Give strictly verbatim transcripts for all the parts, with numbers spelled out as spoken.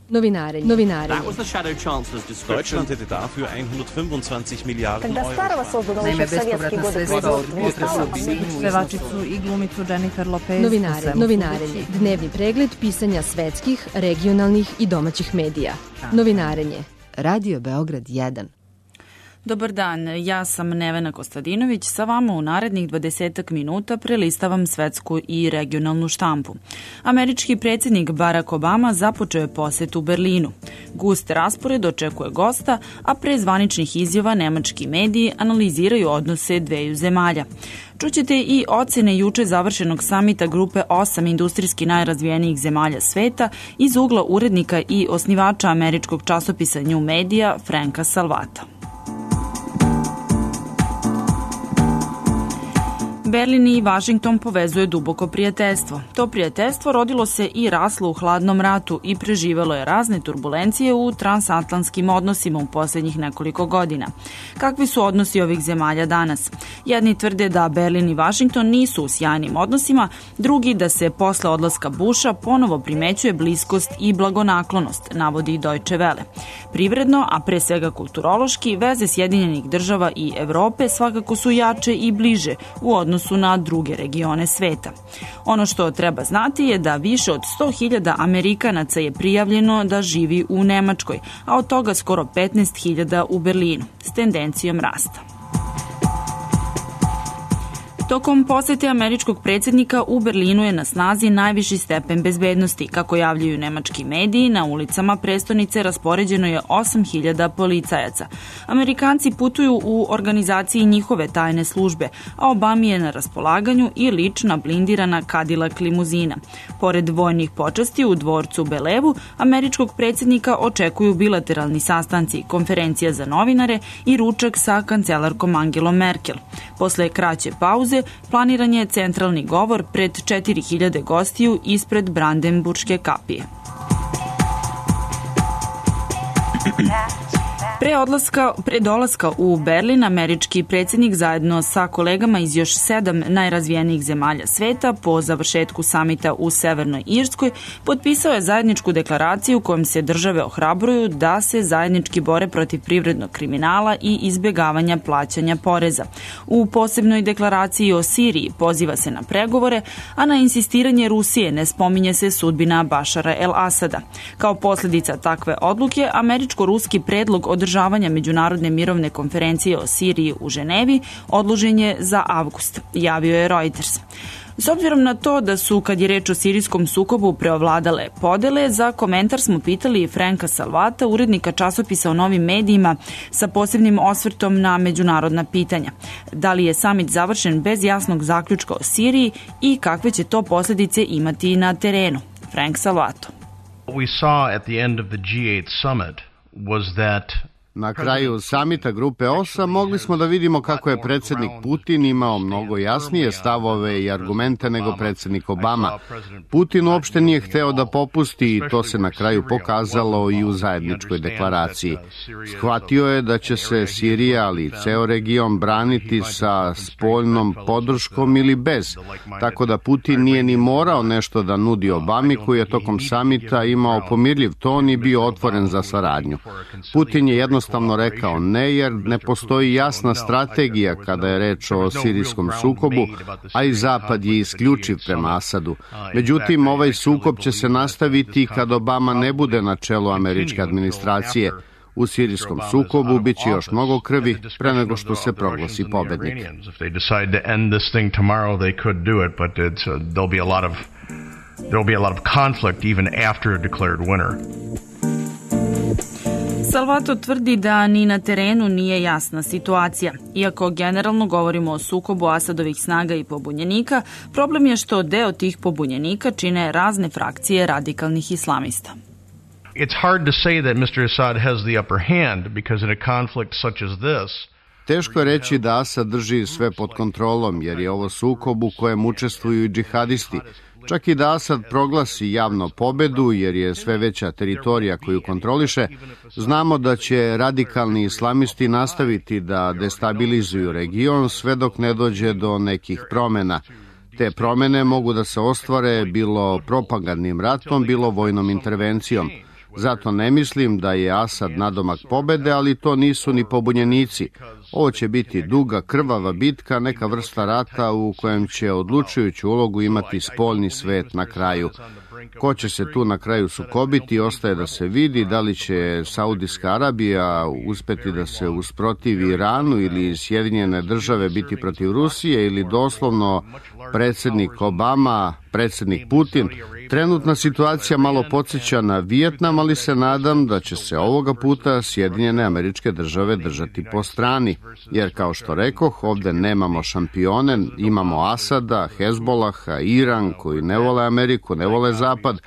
Novinarenje. Novinarenje. Deutschland hätte dafür hundertfünfundzwanzig Milliarden Euro. Naime, bespovratna sredstva od pevačicu i glumicu Jennifer Lopez. Novinarenje. Novinarenje. Dnevni pregled pisanja svetskih, regionalnih i domaćih medija. Novinarenje. Radio Beograd jedan. Dobar dan, ja sam Nevena Kostadinović, sa vama u narednih dvadesetak minuta prelistavam svetsku i regionalnu štampu. Američki predsjednik Barack Obama započeo je posetu Berlinu. Gust raspored očekuje gosta, a pre zvaničnih izjava nemački mediji analiziraju odnose dveju zemalja. Čućete i ocene juče završenog samita grupe osam industrijski najrazvijenijih zemalja sveta iz ugla urednika i osnivača američkog časopisa New Media Franka Salvata. Berlin i Vašington povezuje duboko prijateljstvo. To prijateljstvo rodilo se i raslo u hladnom ratu i preživelo je razne turbulencije u transatlantskim odnosima u posljednjih nekoliko godina. Kakvi su odnosi ovih zemalja danas? Jedni tvrde da Berlin i Vašington nisu u sjajnim odnosima, drugi da se posle odlaska Busha ponovo primećuje bliskost i blagonaklonost, navodi Deutsche Welle. Privredno, a pre svega kulturološki, veze Sjedinjenih država i Evrope svakako su jače i bliže u odnosu su na druge regione sveta. Ono što treba znati je da više od sto hiljada Amerikanaca je prijavljeno da živi u Nemačkoj, a od toga skoro petnaest hiljada u Berlinu, s tendencijom rasta. Tokom posete američkog predsjednika u Berlinu je na snazi najviši stepen bezbednosti. Kako javljaju nemački mediji, na ulicama prestonice raspoređeno je osam hiljada policajaca. Amerikanci putuju u organizaciji njihove tajne službe, a Obami je na raspolaganju i lična blindirana Cadillac limuzina. Pored vojnih počasti u dvorcu Belevu, američkog predsjednika očekuju bilateralni sastanci, konferencija za novinare i ručak sa kancelarkom Angelom Merkel. Posle kraće pauze planiran je centralni govor pred četiri hiljade gostiju ispred Brandenburške kapije. Pre odlaska, pre dolaska u Berlin, američki predsjednik zajedno sa kolegama iz još sedam najrazvijenijih zemalja sveta po završetku samita u Severnoj Irskoj potpisao je zajedničku deklaraciju kojom se države ohrabruju da se zajednički bore protiv privrednog kriminala i izbjegavanja plaćanja poreza. U posebnoj deklaraciji o Siriji poziva se na pregovore, a na insistiranje Rusije ne spominje se sudbina Bašara el-Asada. Kao posljedica takve odluke, američko-ruski predlog održavanja Međunarodne mirovne konferencije o Siriji u Ženevi odložen je za avgust, javio je Reuters. S obzirom na to da su, kad je reč o sirijskom sukobu, preovladale podele, za komentar smo pitali Franka Salvata, urednika časopisa o novim medijima sa posebnim osvrtom na međunarodna pitanja. Da li je samit završen bez jasnog zaključka o Siriji i kakve će to posljedice imati na terenu? Frank Salvato. What we saw at the end of the G eight summit was that Na kraju samita grupe osam mogli smo da vidimo kako je predsjednik Putin imao mnogo jasnije stavove i argumente nego predsjednik Obama. Putin uopšte nije hteo da popusti i to se na kraju pokazalo i u zajedničkoj deklaraciji. Shvatio je da će se Sirija, ali i ceo region braniti sa spoljnom podrškom ili bez, tako da Putin nije ni morao nešto da nudi Obami, koji je tokom samita imao pomirljiv ton i bio otvoren za saradnju. Putin je jednostavno jednostavno rekao ne, jer ne postoji jasna strategija kada je reč o sirijskom sukobu, a i Zapad je isključiv prema Asadu. Međutim, ovaj sukob će se nastaviti kad Obama ne bude na čelu američke administracije. U sirijskom sukobu bit će još mnogo krvi pre nego što se proglasi pobednik. There'll be a lot of conflict even after a declared winner. Salvato tvrdi da ni na terenu nije jasna situacija. Iako generalno govorimo o sukobu Asadovih snaga i pobunjenika, problem je što deo tih pobunjenika čine razne frakcije radikalnih islamista. It's hard to say that mister Assad has the upper hand because in a conflict such as this, teško je reći da Asad drži sve pod kontrolom, jer je ovo sukob u kojem učestvuju i džihadisti. Čak i da Asad proglasi javno pobedu, jer je sve veća teritorija koju kontroliše, znamo da će radikalni islamisti nastaviti da destabilizuju region sve dok ne dođe do nekih promjena. Te promjene mogu da se ostvare bilo propagandnim ratom, bilo vojnom intervencijom. Zato ne mislim da je Asad nadomak pobede, ali to nisu ni pobunjenici. Ovo će biti duga, krvava bitka, neka vrsta rata u kojem će odlučujuću ulogu imati spoljni svet na kraju. Ko će se tu na kraju sukobiti, ostaje da se vidi da li će Saudijska Arabija uspeti da se usprotivi Iranu ili Sjedinjene države biti protiv Rusije ili doslovno predsjednik Obama, predsjednik Putin. Trenutna situacija malo podsjeća na Vijetnam, ali se nadam da će se ovoga puta Sjedinjene Američke Države držati po strani. Jer kao što rekoh, ovdje nemamo šampione, imamo Asada, Hezbolaha, Iran koji ne vole Ameriku, ne vole Zapad,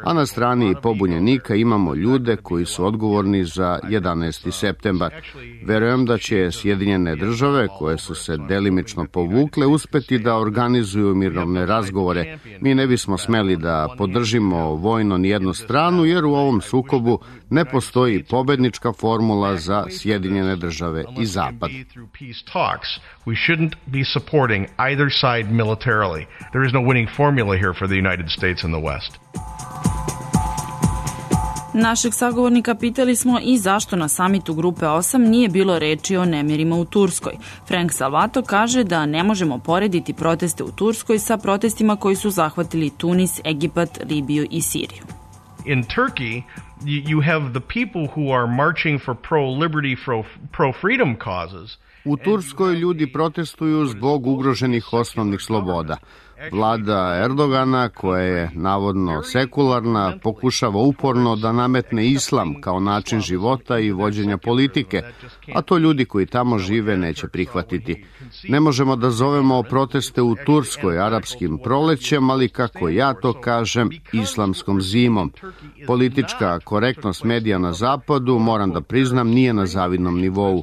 a na strani pobunjenika imamo ljude koji su odgovorni za jedanaesti septembar. Verujem da će Sjedinjene Države, koje su se delimično povukle, uspeti da organizuju mirovne razgovore. Mi ne bismo smeli da podržimo vojno nijednu stranu, jer u ovom sukobu ne postoji pobednička formula za Sjedinjene Države i Zapad. We shouldn't be supporting either side militarily. There is no winning formula here for the United States and the West. Našeg sagovornika pitali smo i zašto na samitu Grupe osam nije bilo reči o nemirima u Turskoj. Frank Salvato kaže da ne možemo porediti proteste u Turskoj sa protestima koji su zahvatili Tunis, Egipat, Libiju i Siriju. In Turkey, you have the people who are marching for pro-liberty, pro-freedom causes. U Turskoj ljudi protestuju zbog ugroženih osnovnih sloboda. Vlada Erdogana, koja je navodno sekularna, pokušava uporno da nametne islam kao način života i vođenja politike, a to ljudi koji tamo žive neće prihvatiti. Ne možemo da zovemo proteste u Turskoj arapskim prolećem, ali kako ja to kažem, islamskom zimom. Politička korektnost medija na zapadu, moram da priznam, nije na zavidnom nivou.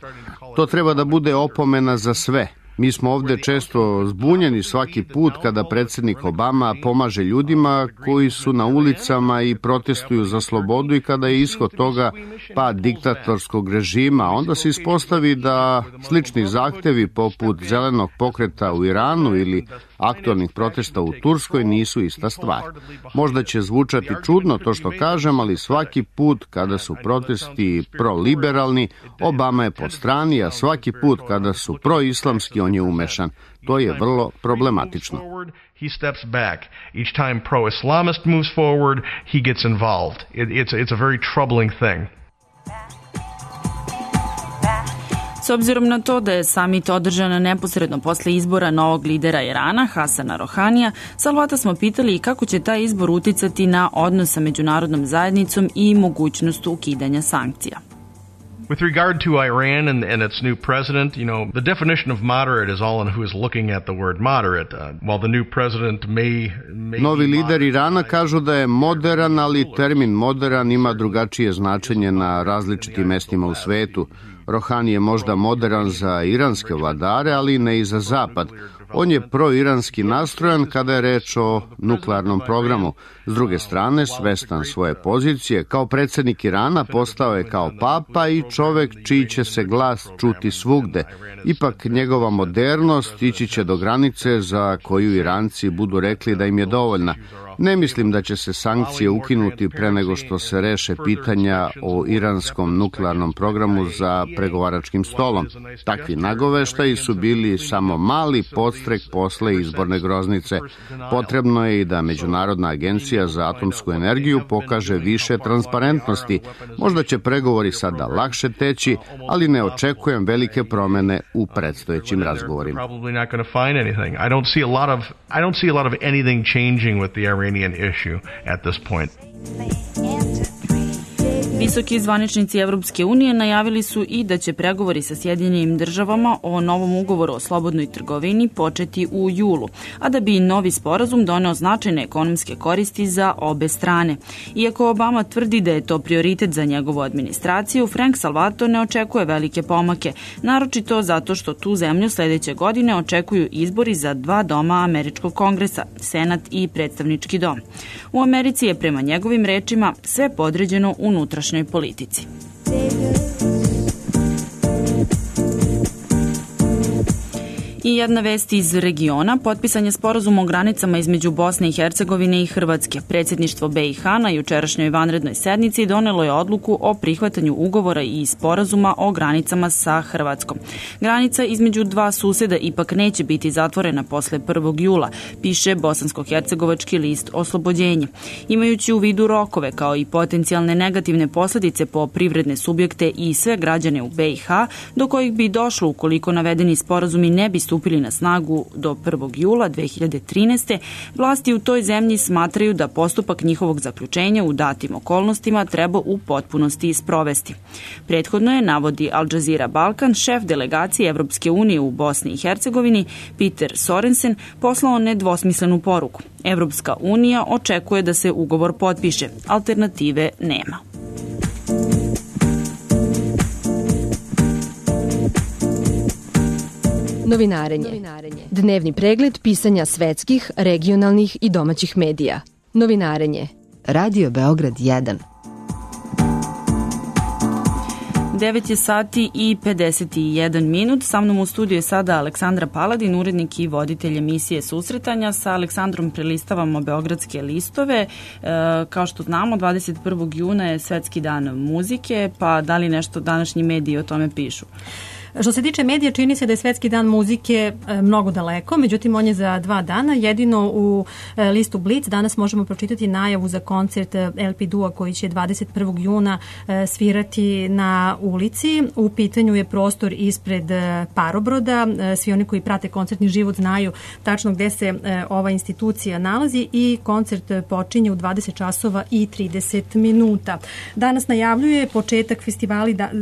To treba da bude opomena za sve. Mi smo ovdje često zbunjeni svaki put kada predsjednik Obama pomaže ljudima koji su na ulicama i protestuju za slobodu i kada je ishod toga pad diktatorskog režima. Onda se ispostavi da slični zahtevi poput zelenog pokreta u Iranu ili aktualnih protesta u Turskoj nisu ista stvar. Možda će zvučati čudno to što kažem, ali svaki put kada su protesti proliberalni, Obama je po strani, a svaki put kada su proislamski, on je umešan. To je vrlo problematično. He steps back. Each time pro-Islamist moves forward, he gets involved. It, it's, it's a very troubling thing. S obzirom na to da je samit održan neposredno posle izbora novog lidera Irana, Hasana Rohanija, Salvata smo pitali kako će taj izbor uticati na odnos sa međunarodnom zajednicom i mogućnost ukidanja sankcija. With regard to Iran and, and its new president, you know, the definition of moderate is all in who is looking at the word moderate. Uh, while the new president may, may Novi lider Irana kažu da je moderan, ali termin moderan ima drugačije značenje na različitim mestima u svetu. Rohani je možda moderan za iranske vladare, ali ne i za Zapad. On je proiranski nastrojan kada je reč o nuklearnom programu. S druge strane, svestan svoje pozicije, kao predsjednik Irana postao je kao papa i čovek čiji će se glas čuti svugde. Ipak njegova modernost ići će do granice za koju Iranci budu rekli da im je dovoljna. Ne mislim da će se sankcije ukinuti pre nego što se reše pitanja o iranskom nuklearnom programu za pregovaračkim stolom. Takvi nagoveštaji su bili samo mali podstrek posle izborne groznice. Potrebno je i da Međunarodna agencija za atomsku energiju pokaže više transparentnosti. Možda će pregovori sada lakše teći, ali ne očekujem velike promene u predstojećim razgovorima. I don't see a lot of I don't see a lot of anything changing with the Iranian issue at this point. Visoki zvaničnici Evropske unije najavili su i da će pregovori sa Sjedinjenim državama o novom ugovoru o slobodnoj trgovini početi u julu, a da bi novi sporazum doneo značajne ekonomske koristi za obe strane. Iako Obama tvrdi da je to prioritet za njegovu administraciju, Frank Salvato ne očekuje velike pomake, naročito zato što tu zemlju sledeće godine očekuju izbori za dva doma Američkog kongresa, Senat i Predstavnički dom. U Americi je prema njegovim rečima sve podređeno unutrašnjoj politici. I jedna vest iz regiona. Potpisan je sporazum o granicama između Bosne i Hercegovine i Hrvatske. Predsjedništvo B i H na jučerašnjoj vanrednoj sednici donelo je odluku o prihvatanju ugovora i sporazuma o granicama sa Hrvatskom. Granica između dva suseda ipak neće biti zatvorena posle prvog jula, piše bosansko-hercegovački list Oslobođenje. Imajući u vidu rokove kao i potencijalne negativne posljedice po privredne subjekte i sve građane u B i H, do kojih bi došlo ukoliko navedeni sporazumi ne bi stupili na snagu do prvog jula dve hiljade trinaeste. Vlasti u toj zemlji smatraju da postupak njihovog zaključenja u datim okolnostima treba u potpunosti sprovesti. Prethodno je, navodi Al Jazeera Balkan, šef delegacije Evropske unije u Bosni i Hercegovini Peter Sorensen poslao nedvosmislenu poruku. Evropska unija očekuje da se ugovor potpiše. Alternative nema. Novinarenje. Dnevni pregled pisanja svetskih, regionalnih i domaćih medija. Novinarenje. Radio Beograd jedan. devet je sati i pedeset jedan minut. Sa mnom u studiju je sada Aleksandra Paladin, urednik i voditelj emisije Susretanja. Sa Aleksandrom prelistavamo Beogradske listove. E, kao što znamo, dvadeset prvog juna je Svetski dan muzike, pa da li nešto današnji mediji o tome pišu? Što se tiče medija, čini se da je Svetski dan muzike mnogo daleko, međutim on je za dva dana. Jedino u listu Blic danas možemo pročitati najavu za koncert El Pidua koji će dvadeset prvog juna svirati na ulici. U pitanju je prostor ispred Parobroda. Svi oni koji prate koncertni život znaju tačno gde se ova institucija nalazi i koncert počinje u dvadeset časova i trideset minuta. Danas najavljuje početak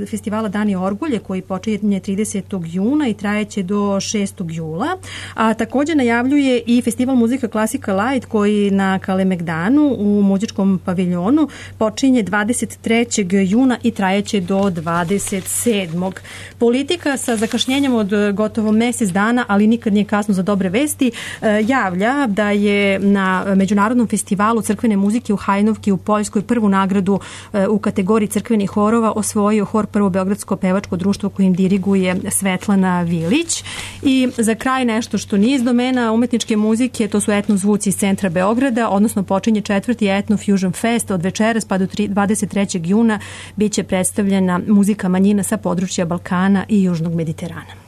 festivala Dani Orgulje koji počinje tridesetog juna i trajeće do šestog jula. A također najavljuje i festival muzika Klasika Light koji na Kalemegdanu u muzičkom paviljonu počinje dvadeset trećeg juna i trajeće do dvadeset sedmog Politika sa zakašnjenjem od gotovo mjesec dana, ali nikad nije kasno za dobre vesti, javlja da je na Međunarodnom festivalu crkvene muzike u Hajnovki u Poljskoj prvu nagradu u kategoriji crkvenih horova osvojio hor Prvo beogradsko pevačko društvo kojim diriguje Svetlana Vilić. I za kraj nešto što nije iz domena umetničke muzike, to su etno zvuci iz centra Beograda, odnosno počinje četvrti Etno Fusion Fest od večeras pa do dvadeset trećeg juna bit će predstavljena muzika manjina sa područja Balkana i Južnog Mediterana.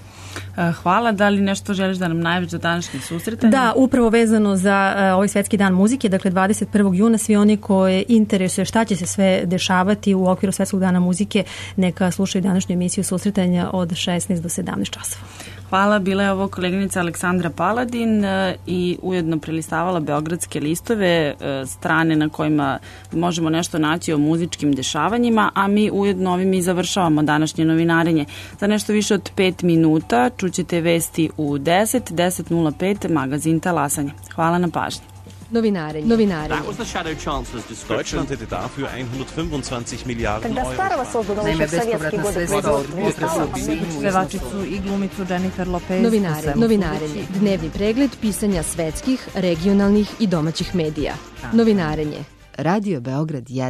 Hvala. Da li nešto želiš da nam najaviš za današnje susretanje? Da, upravo vezano za uh, ovaj Svetski dan muzike, dakle dvadeset prvog juna, svi oni koje interesuje šta će se sve dešavati u okviru Svetskog dana muzike, neka slušaju današnju emisiju Susretanja od šesnaest do sedamnaest časova. Hvala, bila je ovo koleginica Aleksandra Paladin i ujedno prelistavala Beogradske listove, strane na kojima možemo nešto naći o muzičkim dešavanjima, a mi ujedno ovim i završavamo današnje novinarenje. Za nešto više od pet minuta čućete vesti u deset, deset nula pet, magazin Talasanje. Hvala na pažnji. Novinarenje. Novinarenje. That was the Shadow Chancellor's description. Deutschland hätte dafür hundertfünfundzwanzig Milliarden Euro. Naime, bespovratna sredstva od pevačicu i glumicu Jennifer Lopez. Novinarenje. Novinarenje. Dnevni pregled pisanja svetskih, regionalnih i domaćih medija. Novinarenje. Radio Beograd jedan.